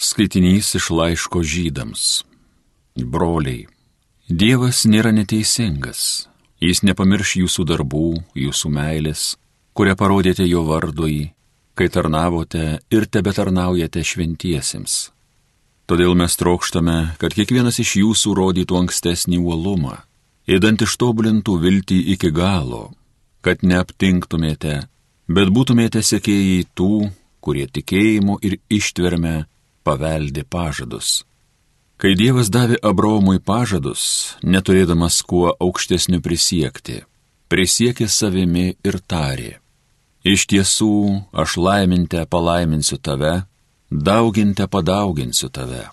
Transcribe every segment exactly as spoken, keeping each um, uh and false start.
Skaitinys iš laiško Žydams. Broliai, Dievas nėra neteisingas. Jis nepamirš jūsų darbų, jūsų meilės, kurią parodėte jo vardui, kai tarnavote ir tebetarnaujate šventiesiems. Todėl mes trokštame, kad kiekvienas iš jūsų rodytų ankstesnį uolumą, ėdant ištobulintų viltį iki galo, kad neaptinktumėte, bet būtumėte sekėjai tų, kurie tikėjimu ir ištverme paveldė pažadus. Kai Dievas davė Abraomui pažadus, neturėdamas kuo aukštesniu prisiekti, prisiekė savimi ir tarė: iš tiesų, aš laiminte palaiminsiu tave, dauginte padauginsiu tave.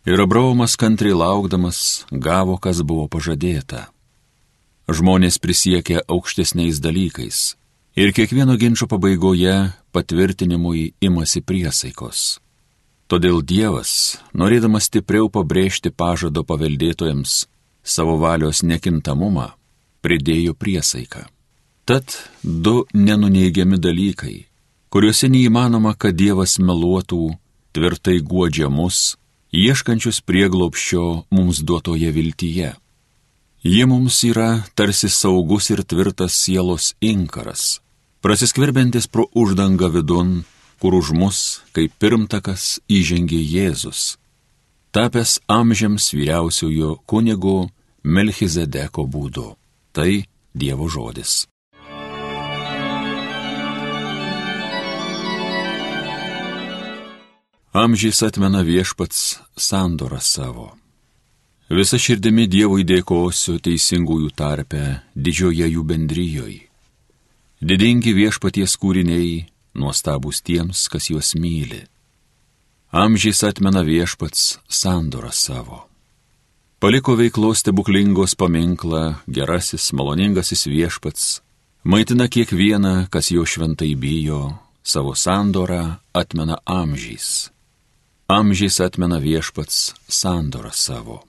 Ir Abraomas kantriai laukdamas gavo, kas buvo pažadėta. Žmonės prisiekė aukštesniais dalykais ir kiekvieno ginčo pabaigoje patvirtinimui imasi priesaikos. Todėl Dievas, norėdamas stipriau pabrėžti pažado paveldėtojams savo valios nekintamumą, pridėjo priesaiką. Tad du nenuneigiami dalykai, kuriuose neįmanoma, kad Dievas meluotų, tvirtai guodžia mus, ieškančius prieglobsčio mums duotoje viltyje. Ji mums yra tarsi saugus ir tvirtas sielos inkaras, prasiskverbiantis pro uždangą vidun, kur už mus, kaip pirmtakas, įžengė Jėzus, tapęs amžiams vyriausiojo kunigo Melchizedeko būdu. Tai Dievo žodis. Amžiais atmena viešpats sandorą savo. Visa širdimi Dievui dėkosiu teisingųjų tarpe, didžioje jų bendrijoje. Didingi viešpaties kūriniai, nuostabūs tiems, kas juos myli. Amžiais atmena viešpats sandorą savo. Paliko veiklos stebuklingos paminklą, gerasis, maloningasis viešpats, maitina kiekvieną, kas jo šventai bijo, savo sandorą atmena amžiais. Amžiais atmena viešpats sandorą savo.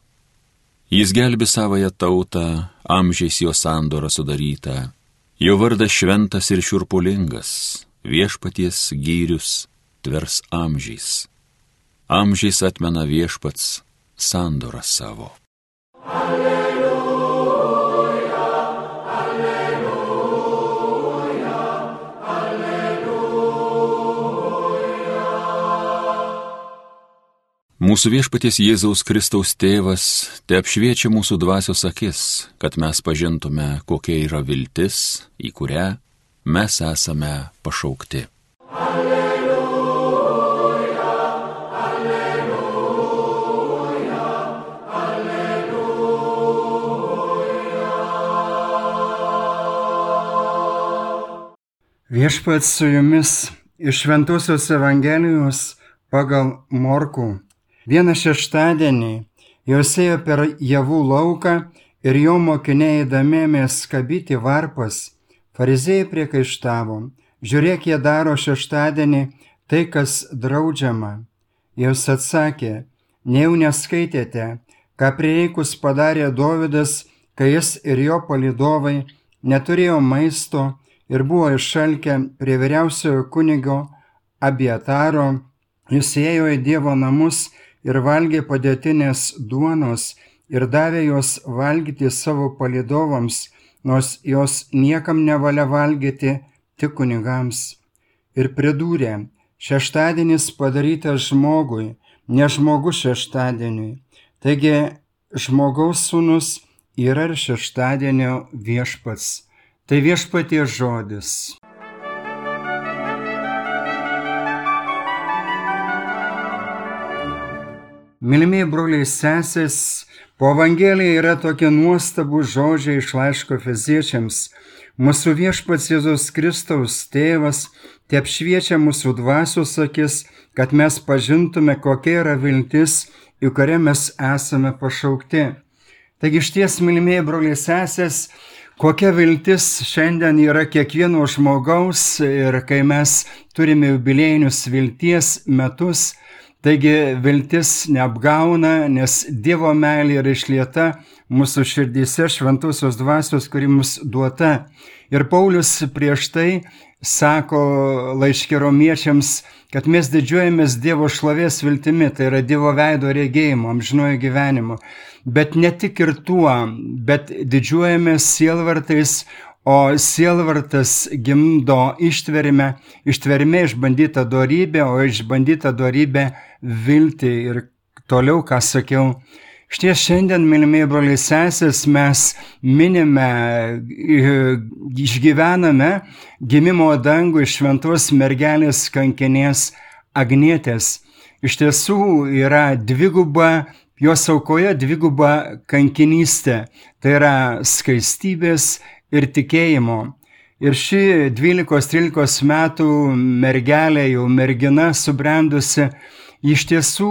Jis gelbi savąją tautą, amžiais jo sandorą sudarytą, jo vardas šventas ir šiurpulingas, viešpaties gyrius tvers amžiais. Amžiais atmena viešpats sandorą savo. Alleluja, alleluja, alleluja. Mūsų viešpaties Jėzaus Kristaus tėvas te apšviečia mūsų dvasios akis, kad mes pažintume, kokia yra viltis, į kurią mes esame pašaukti. Alleluja, alleluja, alleluja. Viešpats su jumis iš Šventosios Evangelijos pagal Morkų. Vieną šeštadienį jos ėjo per javų lauką ir jo mokiniai eidami ėmė skabyti varpas. Fariziejai priekaištavo: žiūrėk, jie daro šeštadienį tai, kas draudžiama. Jis atsakė: nejau neskaitėte, ką prireikus padarė Dovydas, kai jis ir jo palydovai neturėjo maisto ir buvo išalkę prie vyriausiojo kunigo Abiataro. Jis ėjo į Dievo namus ir valgė padėtinės duonos ir davė jos valgyti savo palydovams, nors jos niekam nevalia valgyti, tik kunigams. Ir pridūrė: šeštadienis padarytas žmogui, ne žmogus šeštadieniui. Taigi žmogaus sūnus yra ir šeštadienio viešpats. Tai viešpaties žodis. Mylimieji broliai sesės, po Evangeliją yra tokie nuostabūs žodžiai iš laiško Efeziečiams. Mūsų viešpats Jėzus Kristaus tėvas te apšviečia mūsų dvasios akis, kad mes pažintume, kokia yra viltis, į kurią mes esame pašaukti. Taigi išties, mylimieji broliai sesės, kokia viltis šiandien yra kiekvieno žmogaus, ir kai mes turime jubiliejinius vilties metus, taigi viltis neapgauna, nes Dievo meilė yra išlieta mūsų širdyse šventosios dvasios, kuri mums duota. Ir Paulius prieš tai sako laiške romiečiams, kad mes didžiuojamės Dievo šlovės viltimi, tai yra Dievo veido regėjimo, amžinojo gyvenimo. Bet ne tik ir tuo, bet didžiuojamės sielvartais, o sielvartas gimdo ištvermę, ištvermė išbandyta dorybė, o išbandyta dorybė viltį. Ir toliau, ką sakiau, štie šiandien, mylimieji broliai sesės, mes minime, išgyvename gimimo dangų iš šventos mergelės kankinės Agnietės. Iš tiesų yra dviguba, jos aukoje dviguba kankinystė, tai yra skaistybės ir tikėjimo. Ir ši dvylikos trylikos metų mergelė, jau mergina subrendusi, iš tiesų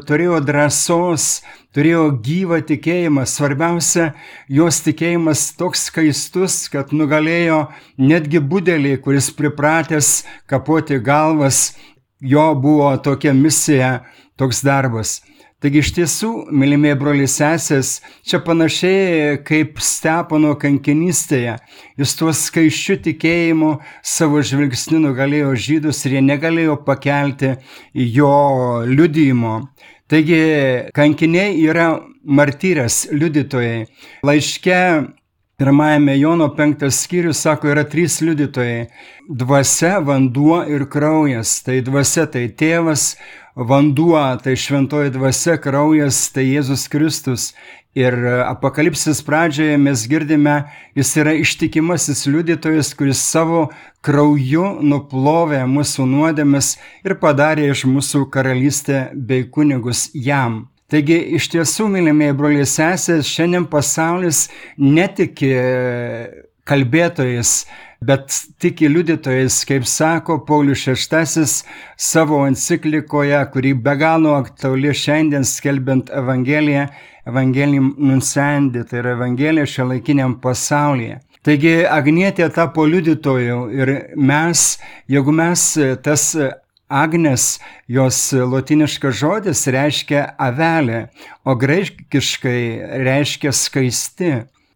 turėjo drąsos, turėjo gyvą tikėjimą. Svarbiausia, jos tikėjimas toks skaistus, kad nugalėjo netgi budelį, kuris pripratęs kapoti galvas. Jo buvo tokia misija, toks darbas. Taigi iš tiesų, mylimieji broliai sesės, čia panašiai kaip Stepono kankinystėje. Jis tuo skaisčiu tikėjimu savo žvilgsniu nugalėjo žydus ir jie negalėjo pakelti jo liudijimo. Taigi kankiniai yra martyrės, liudytojai. Laiške pirmajame Jono penktas skyrius sako, yra trys liudytojai. Dvasia, vanduo ir kraujas. Tai dvasia tai tėvas, vanduo tai šventoji dvasia, kraujas tai Jėzus Kristus. Ir Apokalipsės pradžioje mes girdime, jis yra ištikimasis liudytojas, kuris savo krauju nuplovė mūsų nuodėmes ir padarė iš mūsų karalystę bei kunigus jam. Taigi iš tiesų, mylimieji broliai sesės, šiandien pasaulis netiki kalbėtojais, bet tiki liudytojais, kaip sako Paulius šeštasis savo enciklikoje, kuri be galo aktuali šiandien skelbiant Evangeliją, Evangelium Nunciandi, tai yra Evangelija šiuolaikiniam pasaulyje. Taigi Agnietė tapo liudytoju ir mes, jeigu mes tas Agnes, jos lotyniškas žodis reiškia avelė, o graikiškai reiškia skaisti.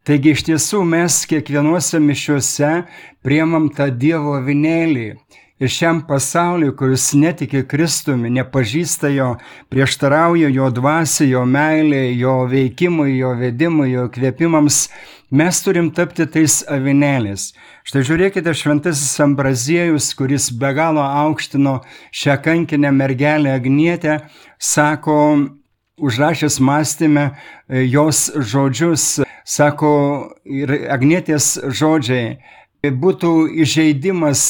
Taigi iš tiesų mes kiekvienuose mišiuose priimam tą Dievo avinėlį. Ir šiam pasauliu, kuris netiki Kristumi, nepažįsta jo, prieštarauja jo dvasiai, jo meilei, jo veikimui, jo vedimui, jo kvėpimams, mes turim tapti tais avinėliais. Štai žiūrėkite, šventasis Ambraziejus, kuris be galo aukštino šią kankinę mergelę Agnietę, sako, užrašęs mąstyme jos žodžius, sako, ir Agnietės žodžiai, būtų įžeidimas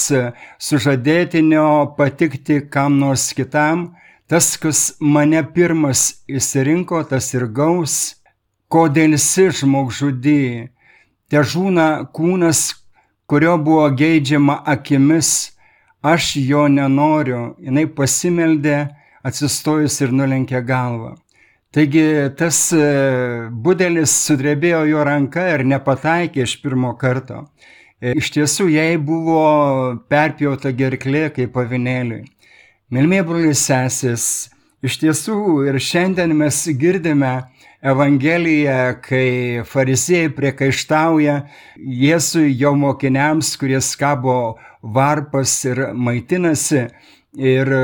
sužadėtinio patikti kam nors kitam, tas, kas mane pirmas išsirinko, tas ir gaus, kodėl si žmogžudį, te žūna kūnas, kurio buvo geidžiama akimis, aš jo nenoriu, jinai pasimeldė, atsistojus ir nulenkė galvą. Taigi tas budelis sudrebėjo jo ranka ir nepataikė iš pirmo karto. Iš tiesų, jai buvo perpjauta gerklė kaip avinėliui. Mylimieji broliai sesės, iš tiesų ir šiandien mes girdime Evangeliją, kai fariziejai priekaištauja Jėzui, jo mokiniams, kurie skabo varpas ir maitinasi, ir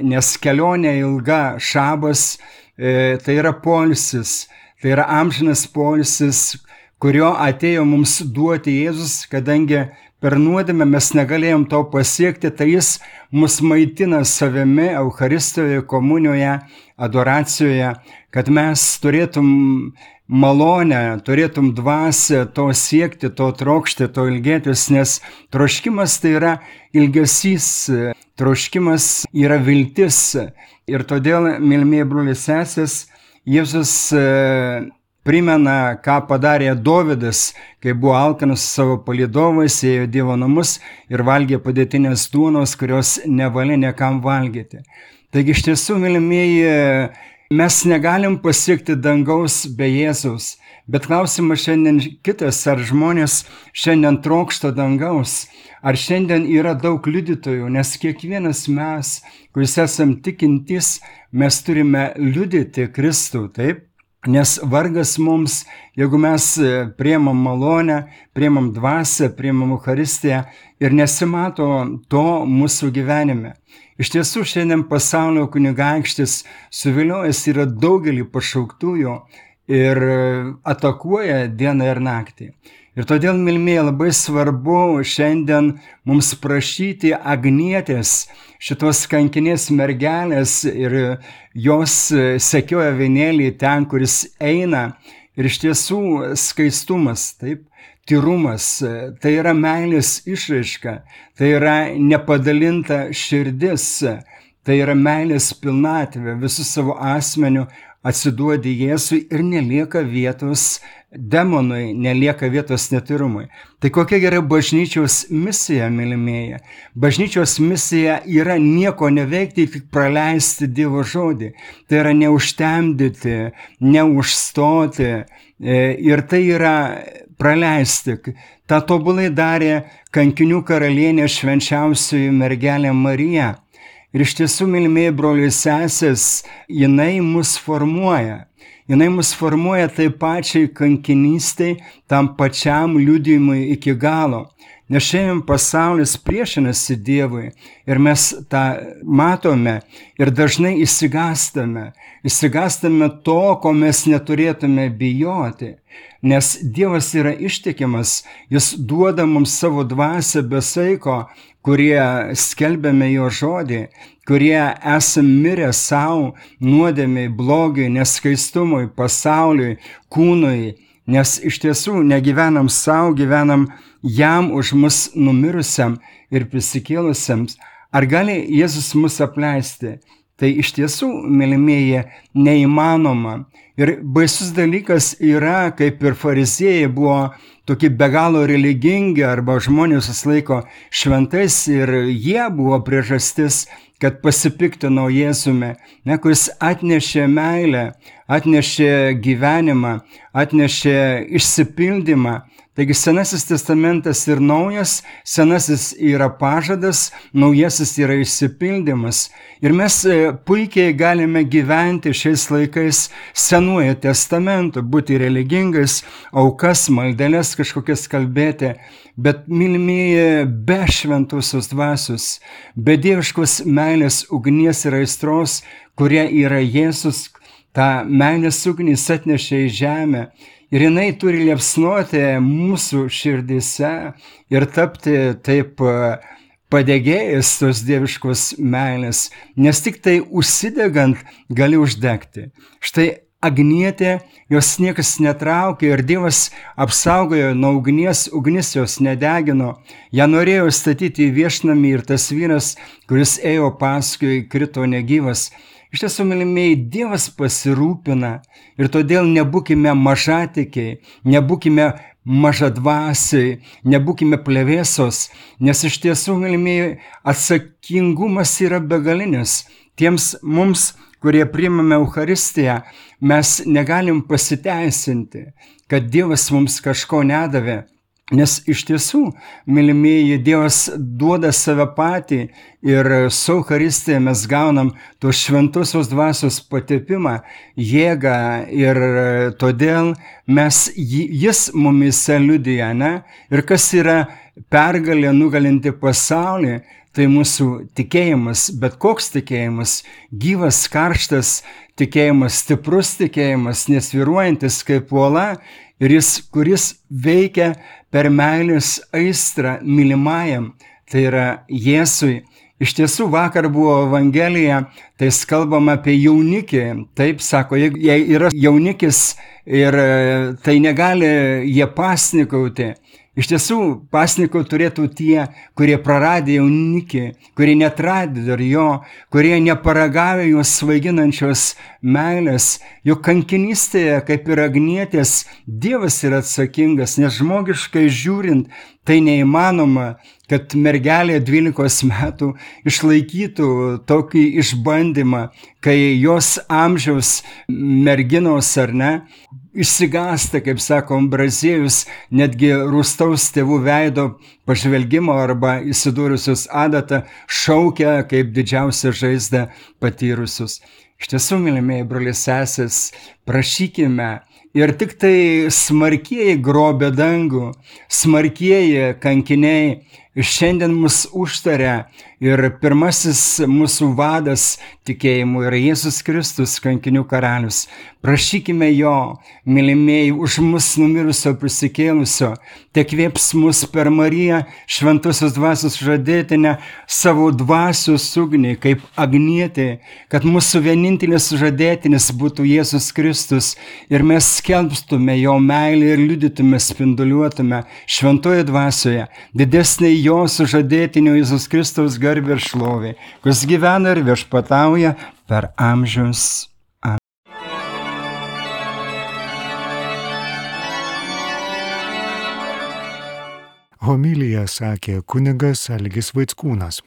nes kelionė ilga, šabas, tai yra poilsis, tai yra amžinas poilsis, kurio atėjo mums duoti Jėzus, kadangi per nuodėmę mes negalėjom to pasiekti, tai jis mus maitina savimi Eucharistijoje, komunijoje, adoracijoje, kad mes turėtum malonę, turėtum dvasią to siekti, to trokšti, to ilgėtis, nes troškimas tai yra ilgesys, troškimas yra viltis. Ir todėl, mylimieji broliai sesės, Jėzus primena, ką padarė Dovydas, kai buvo alkanas su savo palydovais, ėjo Dievo namus ir valgė padėtinės duonos, kurios nevalia niekam valgyti. Taigi iš tiesų, mylimieji, mes negalim pasiekti dangaus be Jėzaus, bet klausimas šiandien kitas, ar žmonės šiandien trokšta dangaus, ar šiandien yra daug liudytojų, nes kiekvienas mes, kuris esam tikintys, mes turime liudyti Kristų, taip? Nes vargas mums, jeigu mes priemam malonę, priemam dvasią, priemam Eucharistiją ir nesimato to mūsų gyvenime. Iš tiesų, šiandien pasaulio kunigaikštis suviliojęs yra daugelį pašauktųjų ir atakuoja dieną ir naktį. Ir todėl, mylimieji, labai svarbu šiandien mums prašyti Agnietės, šitos kankinės mergelės, ir jos sekioja avinėlį ten, kuris eina. Ir iš tiesų skaistumas, taip, tyrumas, tai yra meilės išraiška, tai yra nepadalinta širdis, tai yra meilės pilnatvė, visų savo asmeniu atsiduodi Jėzui ir nelieka vietos demonui, nelieka vietos netyrumui. Tai kokia yra bažnyčios misija, mylimieji? Bažnyčios misija yra nieko neveikti, tik praleisti Dievo žodį. Tai yra neužtemdyti, neužstoti ir tai yra praleisti. Ta tobulai darė kankinių karalienė švenčiausioji mergelė Marija. Ir iš tiesų, mylimieji broliai sesės, jinai mus formuoja. Jinai mus formuoja taip pačiai kankinystei, tam pačiam liudijimui iki galo. Nes šiandien pasaulis priešinasi Dievui ir mes tą matome ir dažnai išsigąstame. Išsigąstame to, ko mes neturėtume bijoti. Nes Dievas yra ištikimas, jis duoda mums savo dvasią be saiko, kurie skelbiame jo žodį, kurie esam mirę savo nuodėmiai, blogiui, neskaistumui, pasauliui, kūnui, nes iš tiesų negyvenam savo, gyvenam jam už mus numirusiam ir prisikėlusiam. Ar gali Jėzus mus apleisti? Tai iš tiesų, mylimieji, neįmanoma. Ir baisus dalykas yra, kaip ir fariziejai buvo tokie be galo religingi arba žmonės susilaiko šventais ir jie buvo priežastis, kad pasipiktino Jėzumi, ne, kuris atnešė meilę, atnešė gyvenimą, atnešė išsipildymą. Taigi Senasis testamentas ir naujas, senasis yra pažadas, naujasis yra išsipildymas. Ir mes puikiai galime gyventi šiais laikais Senuoju testamentu, būti religingais, aukas, maldeles kažkokias kalbėti, bet, mylimieji, be šventosios dvasios, be dieviškos meilės ugnies ir aistros, kurie yra Jėzus, tą meilės ugnys atnešė į žemę. Ir jinai turi liepsnuoti mūsų širdise ir tapti taip padegėjęs tos dieviškos meilės, nes tik tai užsidegant gali uždegti. Štai Agnietė, jos niekas netraukė ir Dievas apsaugojo nuo ugnies, ugnis jos nedegino. Ją norėjo statyti į viešnamį ir tas vyras, kuris ėjo paskui, krito negyvas. Iš tiesų, mylimieji, Dievas pasirūpina ir todėl nebūkime mažatikiai, nebūkime mažadvasiai, nebūkime plevėsos, nes iš tiesų, mylimieji, atsakingumas yra begalinis. Tiems mums, kurie priimame Eucharistiją, mes negalim pasiteisinti, kad Dievas mums kažko nedavė. Nes iš tiesų, mylimieji, Dievas duoda save patį ir su Eucharistija mes gaunam tos šventosios dvasios patepimą, jėgą ir todėl mes, jis mumise liudija, ne? Ir kas yra pergalė nugalinti pasaulį, tai mūsų tikėjimas, bet koks tikėjimas, gyvas, karštas tikėjimas, stiprus tikėjimas, nesvyruojantis kaip uola ir jis, kuris veikia per meilės aistrą mylimajam, tai yra Jėzui. Iš tiesų, vakar buvo Evangelija, tai kalbama apie jaunikį. Taip, sako, jei yra jaunikis ir tai negali jie pasnikauti. Iš tiesų, pasnikau turėtų tie, kurie praradė jaunikį, kurie netradė dar jo, kurie neparagavė jos svaiginančios meilės. Juk kankinystėje, kaip ir Agnietės, Dievas yra atsakingas, nes žmogiškai žiūrint, tai neįmanoma, kad mergelė dvylikos metų išlaikytų tokį išbandymą, kai jos amžiaus merginos ar ne, išsigąsta, kaip sakom, Braziejus, netgi rūstaus tėvų veido pažvelgimo arba įsidūrusius adatą šaukia kaip didžiausią žaizdą patyrusius. Iš tiesų, mylimieji broliai sesės, prašykime. Ir tik tai smarkieji grobia dangų, smarkieji kankiniai šiandien mus užtaria ir pirmasis mūsų vadas tikėjimu yra Jėzus Kristus, kankinių karalius. Prašykime jo, mylimieji, už mus numirusio prisikėlusio, te kvėps mus per Mariją, šventosios dvasios žadėtinę, savo dvasios ugnį, kaip agnietė, kad mūsų vienintelis žadėtinis būtų Jėzus Kristus ir mes skelbstume jo meilę ir liudytume, spinduliuotume šventoje dvasioje didesnė jo sužadėtinio Jėzus Kristaus garbė ir šlovė, kuris gyvena ir viešpatauja per amžius. Amen. Homiliją sakė kunigas Algis Vaickūnas.